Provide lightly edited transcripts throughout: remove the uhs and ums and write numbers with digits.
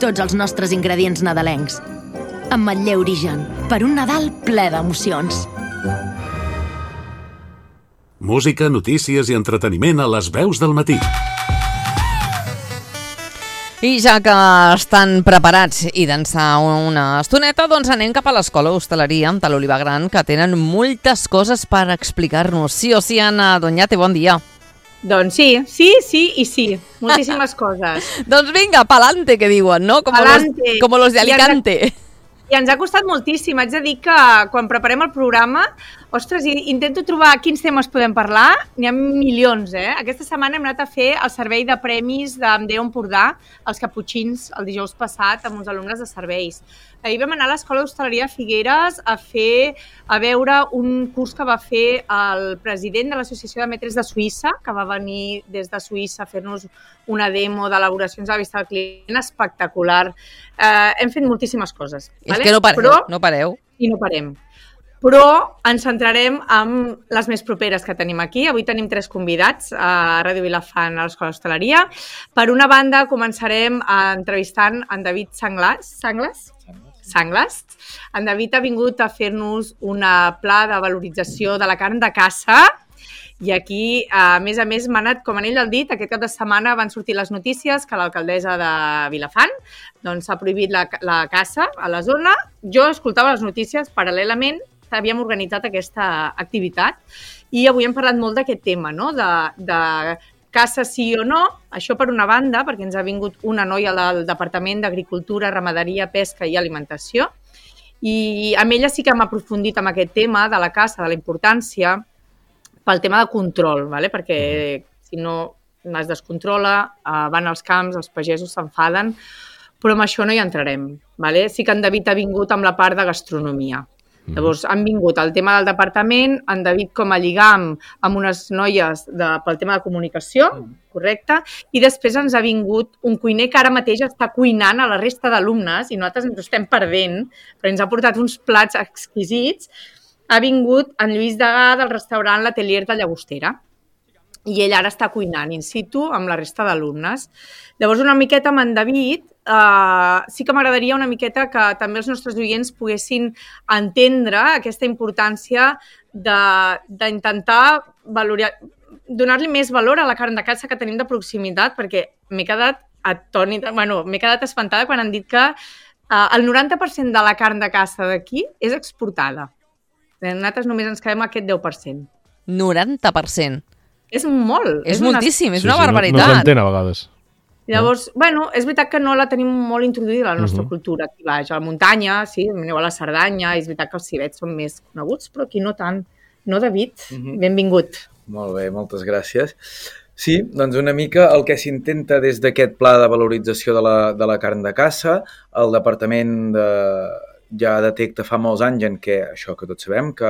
tots els nostres ingredients nadalencs. Ametller Origen, per un Nadal ple d'emocions. Música, notícies i entreteniment a les veus del matí. I ja que estan preparats i d'ençà una estoneta, doncs anem cap a l'Escola d'Hostaleria de l'Olivar Gran, que tenen moltes coses per explicar-nos. Sí o sí, Anna Doñate, bon dia. Doncs sí i sí. Moltíssimes coses. Doncs vinga, pa'lante, que diuen, no? Como los de Alicante. I ens ha costat moltíssim. Haig de dir que quan preparem el programa, ostres, intento trobar quins temes podem parlar. N'hi ha milions, eh? Aquesta setmana hem anat a fer el servei de premis d'Andeu Empordà, els caputxins, el dijous passat, amb uns alumnes de serveis. Ahir vam anar a l'Escola d'Hostaleria Figueres a veure un curs que va fer el president de l'Associació de Metres de Suïssa, que va venir des de Suïssa a fer-nos una demo d'elaboracions a la vista del client espectacular. Hem fet moltíssimes coses. És que no pareu. I no parem. Però ens centrarem en les més properes que tenim aquí. Avui tenim 3 convidats a Ràdio Vilafant a l'Escola d'Hostaleria. Per una banda, començarem entrevistant en David Sanglas. En David ha vingut a fer-nos una pla de valorització de la carn de caça i aquí, a més, m'ha anat, com en ell el dit, aquest cap de setmana van sortir les notícies que l'alcaldessa de Vilafant s'ha prohibit la caça a la zona. Jo escoltava les notícies paral·lelament, havíem organitzat aquesta activitat i avui hem parlat molt d'aquest tema, no? De caça sí o no, això per una banda, perquè ens ha vingut una noia del Departament d'Agricultura, Ramaderia, Pesca i Alimentació, i amb ella sí que hem aprofundit en aquest tema de la caça, de la importància, pel tema de control, perquè si no es descontrola, van als camps, els pagesos s'enfaden, però amb això no hi entrarem. Sí que en David ha vingut amb la part de gastronomia. Llavors, han vingut el tema del departament, en David com a lligam amb unes noies pel tema de comunicació, correcte, i després ens ha vingut un cuiner que ara mateix està cuinant a la resta d'alumnes i nosaltres ens ho estem perdent, però ens ha portat uns plats exquisits. Ha vingut en Lluís Degà del restaurant L'Atelier de Llagostera i ell ara està cuinant in situ amb la resta d'alumnes. Llavors, una miqueta amb en David, sí que m'agradaria una miqueta que també els nostres oients poguessin entendre aquesta importància d'intentar donar-li més valor a la carn de caça que tenim de proximitat, perquè m'he quedat atònita, m'he quedat espantada quan han dit que el 90% de la carn de caça d'aquí és exportada. Nosaltres només ens quedem aquest 10%. 90%? És molt. És moltíssim, és una barbaritat. No s'entén a vegades. Llavors, és veritat que no la tenim molt introduïda a la nostra cultura. Aquí baix, a la muntanya, sí, aneu a la Cerdanya, és veritat que els civets són més coneguts, però aquí no tant. No, David? Benvingut. Molt bé, moltes gràcies. Sí, doncs una mica el que s'intenta des d'aquest pla de valorització de la carn de caça, el departament ja detecta fa molts anys en què, això que tots sabem, que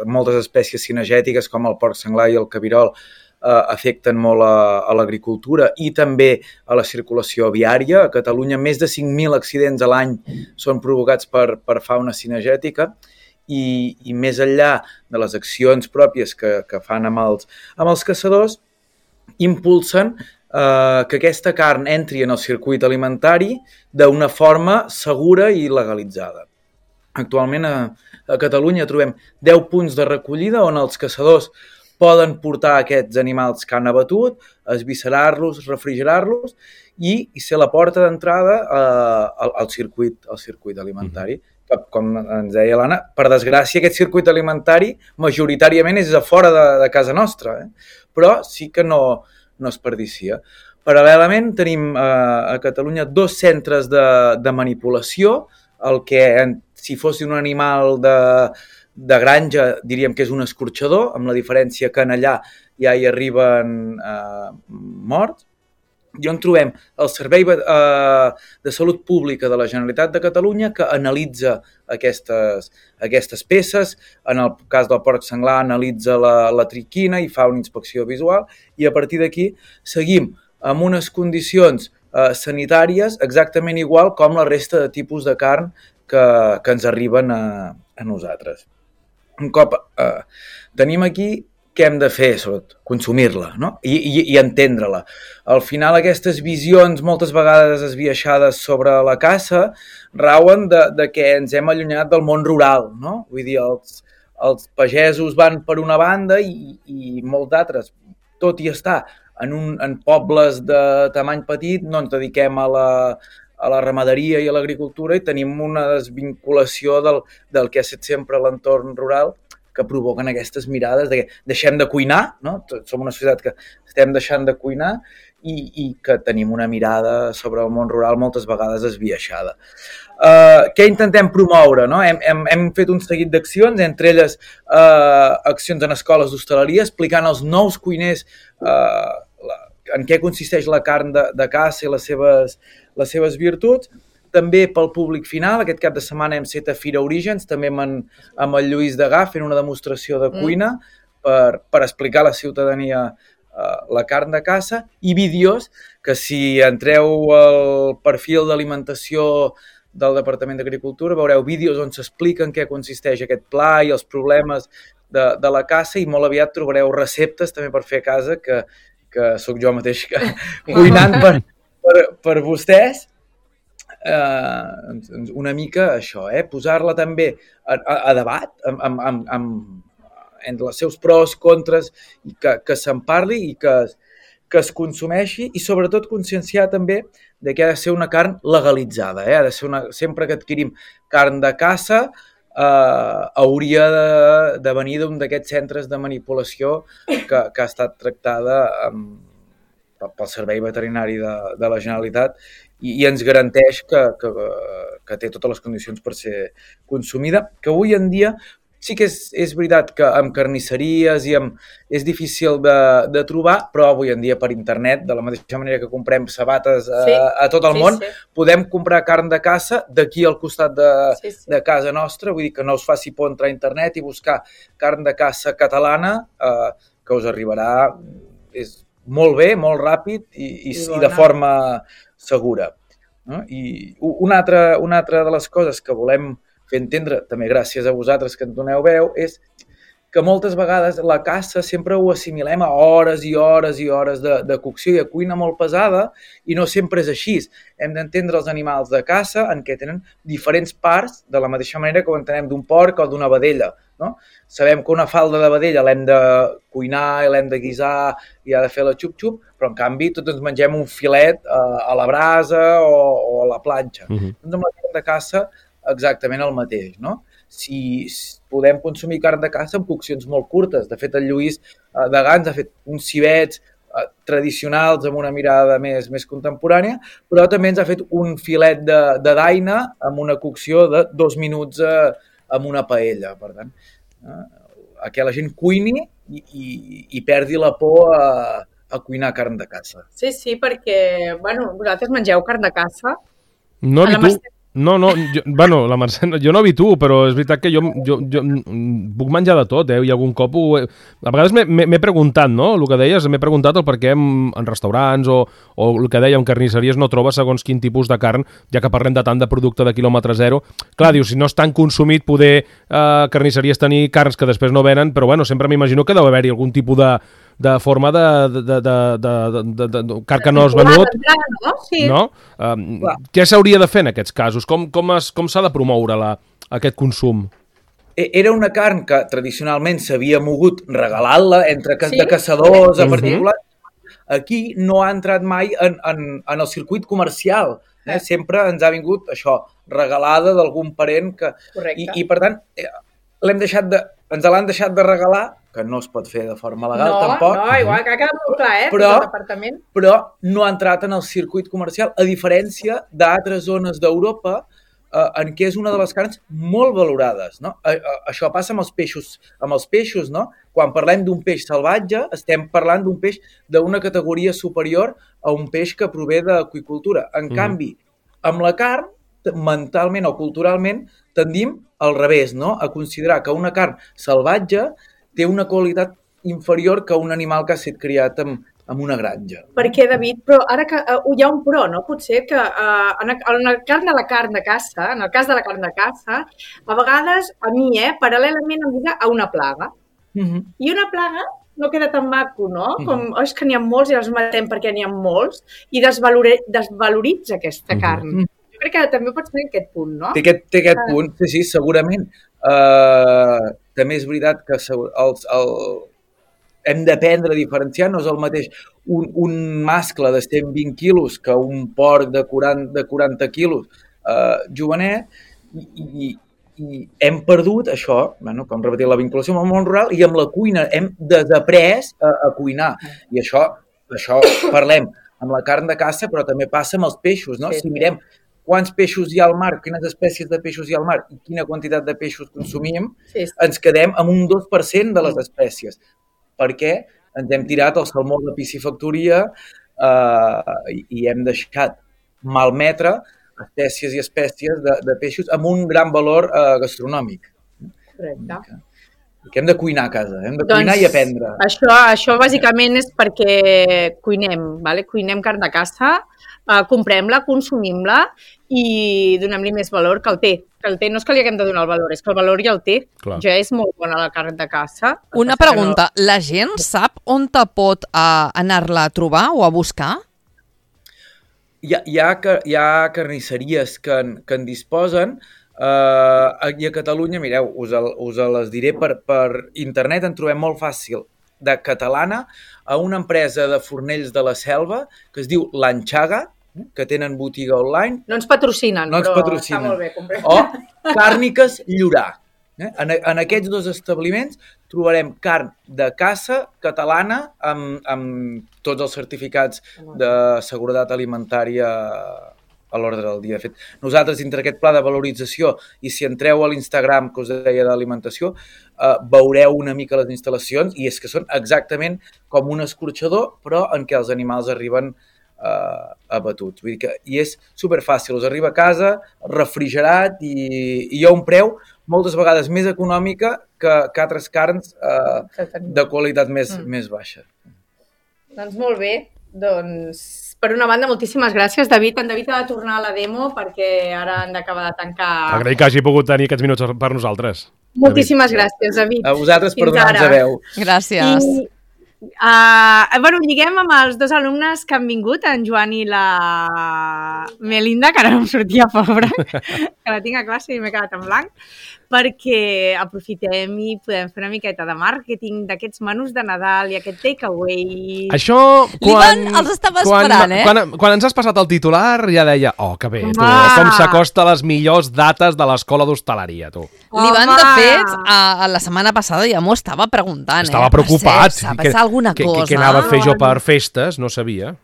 moltes espècies cinegètiques com el porc senglar i el cabirol afecten molt a l'agricultura i també a la circulació viària. A Catalunya més de 5.000 accidents a l'any són provocats per fauna cinegètica i més enllà de les accions pròpies que fan amb els caçadors, impulsen que aquesta carn entri en el circuit alimentari d'una forma segura i legalitzada. Actualment a Catalunya trobem 10 punts de recollida on els caçadors poden portar aquests animals que han abatut, esviscerar-los, refrigerar-los i ser la porta d'entrada al circuit alimentari. Com ens deia l'Anna, per desgràcia aquest circuit alimentari majoritàriament és a fora de casa nostra, però sí que no es perdicia. Paral·lelament tenim a Catalunya 2 centres de manipulació, el que si fos un animal de granja diríem que és un escorxador, amb la diferència que en allà ja hi arriben morts, i on trobem el Servei de Salut Pública de la Generalitat de Catalunya que analitza aquestes peces. En el cas del porc senglar analitza la triquina i fa una inspecció visual i a partir d'aquí seguim amb unes condicions sanitàries exactament igual com la resta de tipus de carn que ens arriben a nosaltres. Un cop tenim aquí què hem de fer, sobretot, consumir-la, no? I entendre-la. Al final, aquestes visions, moltes vegades esbiaixades sobre la caça, rauen de que ens hem allunyat del món rural, no? Vull dir, els pagesos van per una banda i molts d'altres, tot i estar en pobles de tamany petit, no ens dediquem a la ramaderia i a l'agricultura i tenim una desvinculació del que ha estat sempre l'entorn rural, que provoquen aquestes mirades de que deixem de cuinar, no? Som una societat que estem deixant de cuinar i que tenim una mirada sobre el món rural moltes vegades esbiaixada. Què intentem promoure? No? Hem fet un seguit d'accions, entre elles accions en escoles d'hostaleria, explicant als nous cuiners en què consisteix la carn de caça i les seves virtuts. També pel públic final, aquest cap de setmana hem set a Fira Orígens, també amb el Lluís Degà fent una demostració de cuina per explicar a la ciutadania la carn de caça, i vídeos que si entreu al perfil d'alimentació del Departament d'Agricultura veureu vídeos on s'expliquen què consisteix aquest pla i els problemes de la caça, i molt aviat trobareu receptes també per fer a casa, que sóc jo mateix cuinant per vostès. Una mica això, posar-la també a debat entre els seus pros, contres, i que se'n parli i que es consumeixi, i sobretot conscienciar també de que ha de ser una carn legalitzada, ha de ser sempre que adquirim carn de caça hauria de venir d'un d'aquests centres de manipulació que ha estat tractada pel Servei Veterinari de la Generalitat i ens garanteix que té totes les condicions per ser consumida, que avui en dia sí que és veritat que amb carnisseries és difícil de trobar, però avui en dia per internet, de la mateixa manera que comprem sabates a tot el món, podem comprar carn de caça d'aquí al costat de casa nostra, vull dir que no us faci por entrar a internet i buscar carn de caça catalana, que us arribarà molt bé, molt ràpid i de forma segura. I una altra de les coses que volem fer entendre, també gràcies a vosaltres que ens doneu veu, és que moltes vegades la caça sempre ho assimilem a hores i hores i hores de cocció i de cuina molt pesada, i no sempre és així. Hem d'entendre els animals de caça en què tenen diferents parts, de la mateixa manera que ho entenem d'un porc o d'una vedella. No? Sabem que una falda de vedella l'hem de cuinar i l'hem de guisar i ha de fer la xup-xup, però en canvi tots ens mengem un filet a la brasa o a la planxa. Doncs amb la carn de caça exactament el mateix, no? Si podem consumir carn de caça amb coccions molt curtes. De fet, el Lluís Degà ens ha fet uns civets tradicionals amb una mirada més contemporània, però també ens ha fet un filet de daina amb una cocció de 2 minuts amb una paella. Per tant, que la gent cuini i perdi la por a cuinar carn de caça. Sí, perquè, vosaltres mengeu carn de caça? No habituo. No, la Mercè, jo no habituo, però és veritat que jo puc menjar de tot, i algun cop a vegades m'he preguntat, no? El que deies, m'he preguntat el per què en restaurants o el que deia en carnisseries no trobes segons quin tipus de carn, ja que parlem de tant de producte de quilòmetre zero. Clar, dius, si no és tan consumit, poder carnisseries tenir carns que després no venen, però sempre m'imagino que deu haver-hi algun tipus de forma de carn que no has venut, no? Què s'hauria de fer en aquests casos? Com s'ha de promoure aquest consum? Era una carn que tradicionalment s'havia mogut regalant-la entre de caçadors a particulars. Aquí no ha entrat mai en el circuit comercial. Sempre ens ha vingut això, regalada d'algun parent i per tant ens l'han deixat de regalar, que no es pot fer de forma legal tampoc. No, igual que ha quedat molt clar, del departament. Però no ha entrat en el circuit comercial, a diferència d'altres zones d'Europa en què és una de les carns molt valorades. No? Això passa amb els peixos, no? Quan parlem d'un peix salvatge, estem parlant d'un peix d'una categoria superior a un peix que prové d'aqüicultura. En canvi, amb la carn, mentalment o culturalment, tendim al revés, no? A considerar que una carn salvatge té una qualitat inferior que un animal que ha estat criat en una granja. Perquè, David, però ara que hi ha un però, no? Potser que en el cas de la carn de caça, a vegades, a mi, paral·lelament em lliga a una plaga. I una plaga no queda tan maco, no? Com, és que n'hi ha molts i els matem perquè n'hi ha molts i desvaloritza aquesta carn. Jo crec que també pots tenir aquest punt, no? Té aquest punt, sí, segurament. També és veritat que hem d'aprendre a diferenciar, no és el mateix un mascle de 120 quilos que un porc de 40 quilos jovenet, i hem perdut això, com repetir, la vinculació amb el món rural, i amb la cuina hem desaprès a cuinar. I això parlem amb la carn de caça, però també passa amb els peixos, no? Si mirem quants peixos hi ha al mar, quines espècies de peixos hi ha al mar i quina quantitat de peixos consumim, ens quedem amb un 2% de les espècies, perquè ens hem tirat el salmó de piscifactoria i hem deixat malmetre espècies i espècies de peixos amb un gran valor gastronòmic. Correcte. Que hem de cuinar a casa, hem de cuinar i aprendre. Això bàsicament és perquè cuinem, cuinem carn de caça, comprem-la, consumim-la i donem-li més valor que el té. Que el té no és que li haguem de donar el valor, és que el valor ja el té. Clar. Ja és molt bona la carn de caça. Una pregunta, la gent sap on te pot anar-la a trobar o a buscar? Hi ha carnisseries que en disposen. Aquí a Catalunya, mireu, us les diré per internet, en trobem molt fàcil, de Catalana, a una empresa de fornells de la Selva que es diu L'Anxaga, que tenen botiga online. No ens patrocinen, però està molt bé. O Càrniques Llorà. En aquests dos establiments trobarem carn de caça catalana amb tots els certificats de seguretat alimentària a l'ordre del dia. De fet, nosaltres, dintre aquest pla de valorització, i si entreu a l'Instagram que us deia d'alimentació, veureu una mica les instal·lacions, i és que són exactament com un escorxador, però en què els animals arriben abatuts. Vull dir que, i és superfàcil, us arriba a casa, refrigerat, i hi ha un preu moltes vegades més econòmica que altres carns de qualitat més baixa. Doncs molt bé. Doncs, per una banda, moltíssimes gràcies, David. En David ha de tornar a la demo perquè ara han d'acabar de tancar... Agraïm que hagi pogut tenir aquests minuts per nosaltres. Moltíssimes gràcies, David. A vosaltres per donar-nos veu. Gràcies. Lliguem amb els dos alumnes que han vingut, en Joan i la Melinda, que ara no em sortia pobre, que la tinc a classe i m'he quedat en blanc, perquè aprofitem i podem fer una miqueta de màrqueting d'aquests menús de Nadal i aquest takeaway. Això, l'Ivan els estava esperant, quan ens has passat el titular ja deia, que bé, tu, com s'acosta a les millors dates de l'escola d'hostaleria, tu. L'Ivan, de fet, la setmana passada ja m'ho estava preguntant. Estava preocupat. Va passar alguna cosa. Què anava a fer jo per festes? No sabia.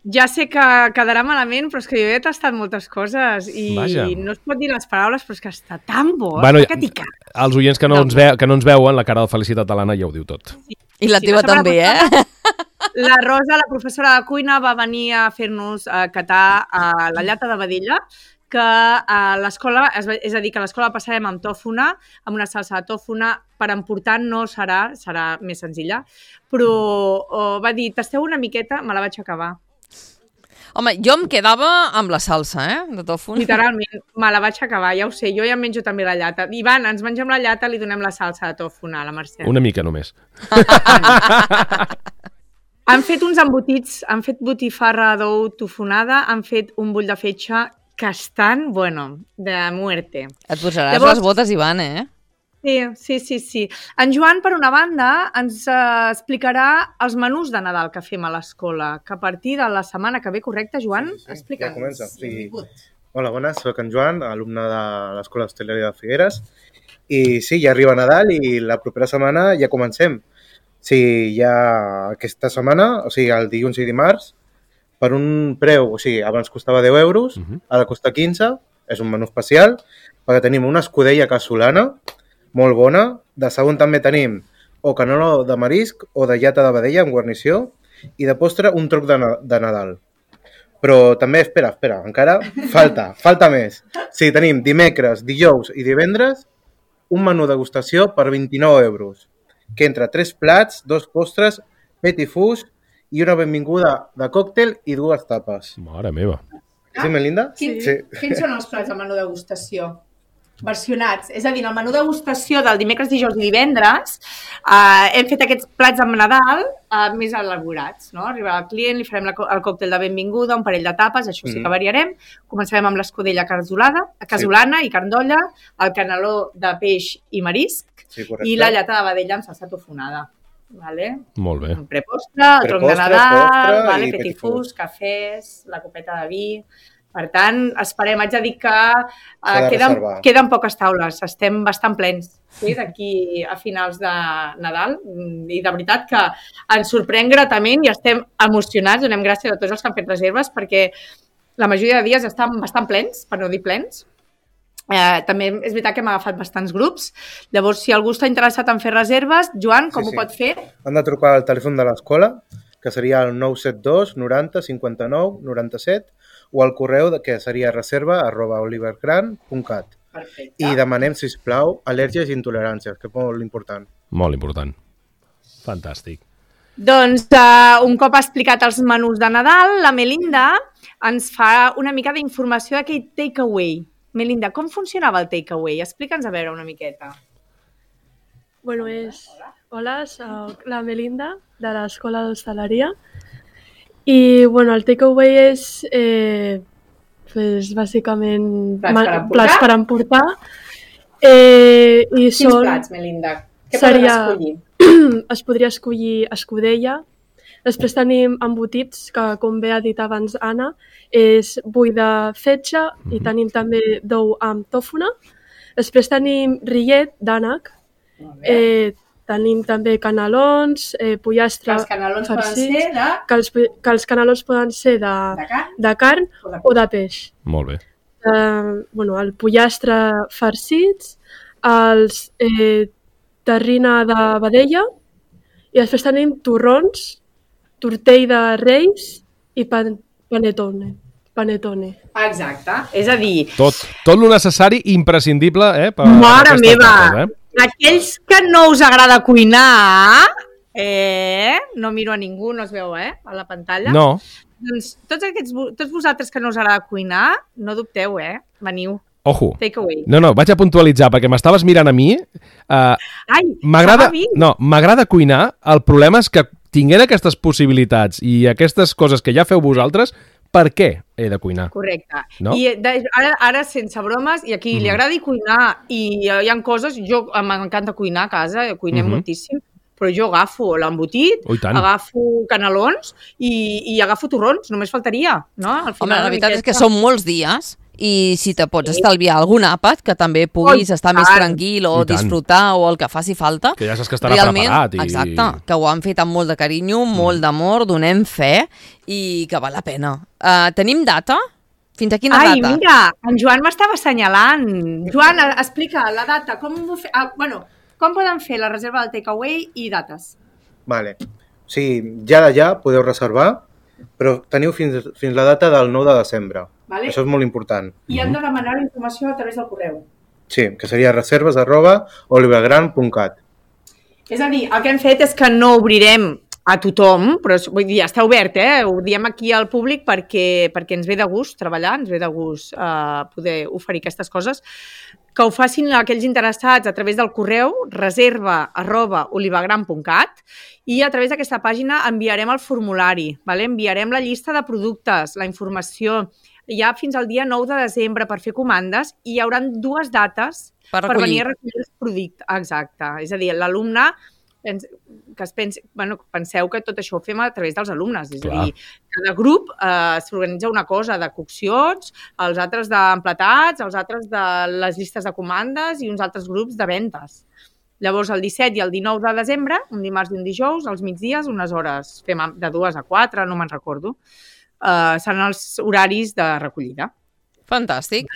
Ja sé que quedarà malament, però és que jo he tastat moltes coses i no es pot dir les paraules, però és que està tan bo, que t'hi cap. Els oients que no ens veuen, la cara de felicitat de l'Anna ja ho diu tot. I la teva també, La Rosa, la professora de cuina, va venir a fer-nos catar la llata de vedella, que a l'escola, és a dir, que a l'escola passarem amb tòfona, amb una salsa de tòfona, per emportar no serà més senzilla, però va dir, tasteu una miqueta, me la vaig acabar. Home, jo em quedava amb la salsa, de tòfona. Literalment, me la vaig acabar, ja ho sé, jo ja em menjo també la llata. Ivan, ens mengem la llata, li donem la salsa de tòfona a la Mercè. Una mica només. Han fet uns embotits, han fet botifarra d'ou tofonada, han fet un bull de fetge que estan, de muerte. Et posaràs les botes, Ivan, Sí. En Joan, per una banda, ens explicarà els menús de Nadal que fem a l'escola, que a partir de la setmana que ve, correcte, Joan? Explica'ns. Ja comença. Sí. Hola, bones, soc en Joan, alumne de l'Escola d'Hostaleria de Figueres. I sí, ja arriba Nadal i la propera setmana ja comencem. Sí, ja aquesta setmana, o sigui, el dilluns i dimarts, per un preu, o sigui, abans costava 10 euros, ara costa 15, és un menú especial, perquè tenim una escudella casolana, molt bona. De segon també tenim o canolo de marisc o de llata de vedella amb guarnició i de postre un truc de Nadal. Però també, espera, encara falta més. Sí, tenim dimecres, dijous i divendres un menú degustació per 29 euros, que entra 3 plats, 2 postres, petit fus i una benvinguda de còctel i 2 tapes. Mare meva. Sí, Melinda? Sí. Quins són els plats de menú degustació? versionats. És a dir, en el menú degustació del dimecres, dijous i divendres hem fet aquests plats amb Nadal més elaborats. No? Arribarà el client, li farem el còctel de benvinguda, un parell de tapes, això sí que variarem. Començarem amb l'escudella casolana i carn d'olla, el caneló de peix i marisc i la llata de vedella amb salsa tofonada. Vale? Molt bé. Un prepostre, el tronc de Nadal, petit fus, cafès, la copeta de vi... Per tant, esperem, haig de dir que queden poques taules, estem bastant plens d'aquí a finals de Nadal i de veritat que ens sorprèn gratament i estem emocionats, donem gràcies a tots els que han fet reserves perquè la majoria de dies estan bastant plens, per no dir plens. També és veritat que hem agafat bastants grups, llavors si algú està interessat en fer reserves, Joan, com ho pot fer? Han de trucar al telèfon de l'escola, que seria el 972 90 59 97, o al correu que seria reserva@olivergran.cat. I demanem, sisplau, al·lèrgies i intoleràncies, que és molt important. Molt important. Fantàstic. Doncs un cop explicat els menús de Nadal, la Melinda ens fa una mica d'informació d'aquell takeaway. Melinda, com funcionava el takeaway? Explica'ns a veure una miqueta. Bueno, hola, soc la Melinda, de l'Escola d'Hostaleria. I, bueno, el takeaway és, bàsicament, plats per emportar. Quins plats, Melinda? Què podem escollir? Es podria escollir escudella. Després tenim embotits, que, com bé ha dit abans Anna, és bull de fetge i tenim també d'ou amb tòfona. Després tenim rillet d'ànec. Tenim també canelons, pollastre... Que els canelons poden ser de... Que els canelons poden ser de carn o de peix. Molt bé. El pollastre farcits, els terrina de vedella i després tenim torrons, tortell de reis i panetone. Exacte, és a dir... Tot lo necessari i imprescindible per Mare meva! Aquells que no us agrada cuinar, no miro a ningú, no es veu, a la pantalla. No. Doncs tots vosaltres que no us agrada cuinar, no dubteu, veniu. Ojo. Take away. No, vaig a puntualitzar, perquè m'estaves mirant a mi. M'agrada cuinar, el problema és que tinguent aquestes possibilitats i aquestes coses que ja feu vosaltres, per què he de cuinar? Correcte. No? I ara, sense bromes, i a qui li agradi cuinar, i hi ha coses, m'encanta cuinar a casa, cuinem moltíssim, però jo agafo l'embotit, agafo canelons i agafo torrons, només faltaria. No? Home, la veritat és que són molts dies i si te pots estalviar algun àpat que també puguis estar més tranquil o disfrutar o el que faci falta. Que ja saps que estarà preparat. Exacte, que ho han fet amb molt de carinyo, molt d'amor, donem fe i que val la pena. Tenim data? Fins a quina data? Ai, mira, en Joan m'estava assenyalant. Joan, explica la data. Com poden fer la reserva del takeaway i dates? Vale. Sí, ja podeu reservar, però teniu fins la data del 9 de desembre. Vale. Això és molt important. I han de demanar la informació a través del correu. Sí, que seria reserves@olivergran.cat. És a dir, el que hem fet és que no obrirem a tothom, però vull dir, ja està obert, ho diem aquí al públic perquè ens ve de gust treballar, ens ve de gust poder oferir aquestes coses, que ho facin aquells interessats a través del correu reserva@olivergran.cat i a través d'aquesta pàgina enviarem el formulari, enviarem la llista de productes, la informació, ja fins al dia 9 de desembre per fer comandes i hi haurà 2 dates per venir a recollir els productes. Exacte. És a dir, l'alumne que penseu que tot això ho fem a través dels alumnes. És a dir, cada grup s'organitza una cosa de coccions, els altres d'empletats, els altres de les llistes de comandes i uns altres grups de ventes. Llavors, el 17 i el 19 de desembre, un dimarts i un dijous, als migdies, unes hores, fem de 2 a 4, no me'n recordo, seran els horaris de recollida. Fantàstic.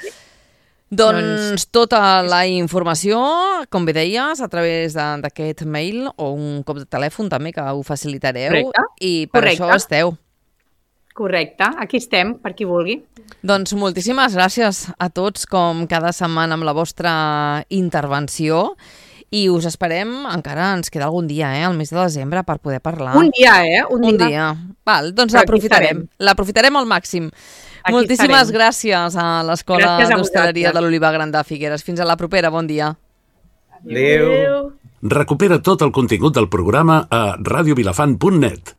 Doncs tota la informació, com bé deies, a través d'aquest mail o un cop de telèfon també, que ho facilitareu. I per això esteu. Correcte, aquí estem, per qui vulgui. Doncs moltíssimes gràcies a tots, com cada setmana amb la vostra intervenció. I us esperem, encara ens queda algun dia, al mes de desembre, per poder parlar. Un dia, Un dia. Val, doncs l'aprofitarem al màxim. Moltíssimes gràcies a l'Escola Gràcies a d'Hostaleria vosaltres. de l'Oliva Gran de Figueres. Fins a la propera, bon dia. Adéu. Recupera tot el contingut del programa a radiovilafant.net.